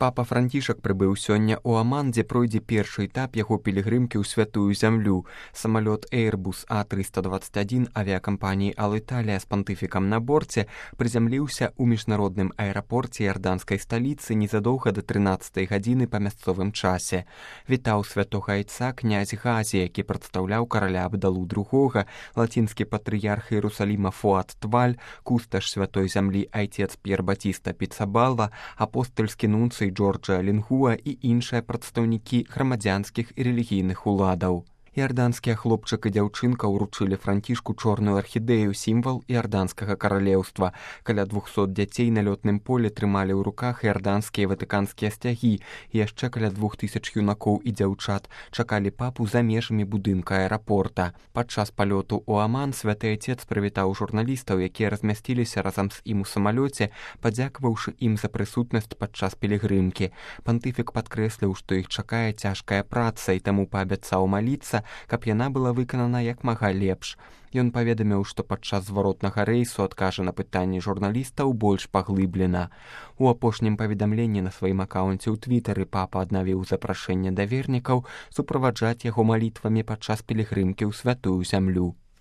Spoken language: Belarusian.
Папа Францішак прыбыў сёння ў Аман, дзе пройдзе першы этап яго пілігрымкі ў святую зямлю. Самалёт Airbus A321 авіякампаніі Аліталія з пантыфікам на борце прызямліўся ў міжнародным аэрапорце іорданскай сталіцы незадоўга да 13 гадзіны па мясцовым часе. Вітаў святога айца князь Газі, які прадстаўляў караля Абдалу II, лацінскі патрыярх Іерусаліма Фуат Тваль, кусташ святой зямлі айцец П'ер Батіста Піцабалла, апостальскі нунцый Джорджа Лінгуа і іншыя прадстаўнікі грамадзянскіх і рэлігійных уладаў. Іорданскія хлопчык і дзяўчынка ўручылі Францішку чорную архідэю, сімвал іорданскага каралеўства. Каля 200 дзяцей на лётным полі трымалі ў руках іорданскія ватыканскія сцягі. Яшчэ каля 2000 юнакоў і дзяўчат чакалі папу за межамі будынка аэрапорта. Падчас палёту ў Аман святы айцец прывітаў журналістаў, якія размясціліся разам з ім у самалёце, падзякаваўшы ім за прысутнасць падчас пілігрымкі. Пантыфік падкрэсліў, што іх чакае цяжкая праца, і таму паабяцаў маліцца, каб яна была выканана як мага лепш. Ён паведаміў, што падчас зваротнага рэйсу адкажа на пытанні журналістаў больш паглыблена. У апошнім паведамленні на сваім акаунце ў твітары папа аднавіў запрашэнне да вернікаў суправаджаць яго малітвамі падчас пілігрымкі ў святую зямлю.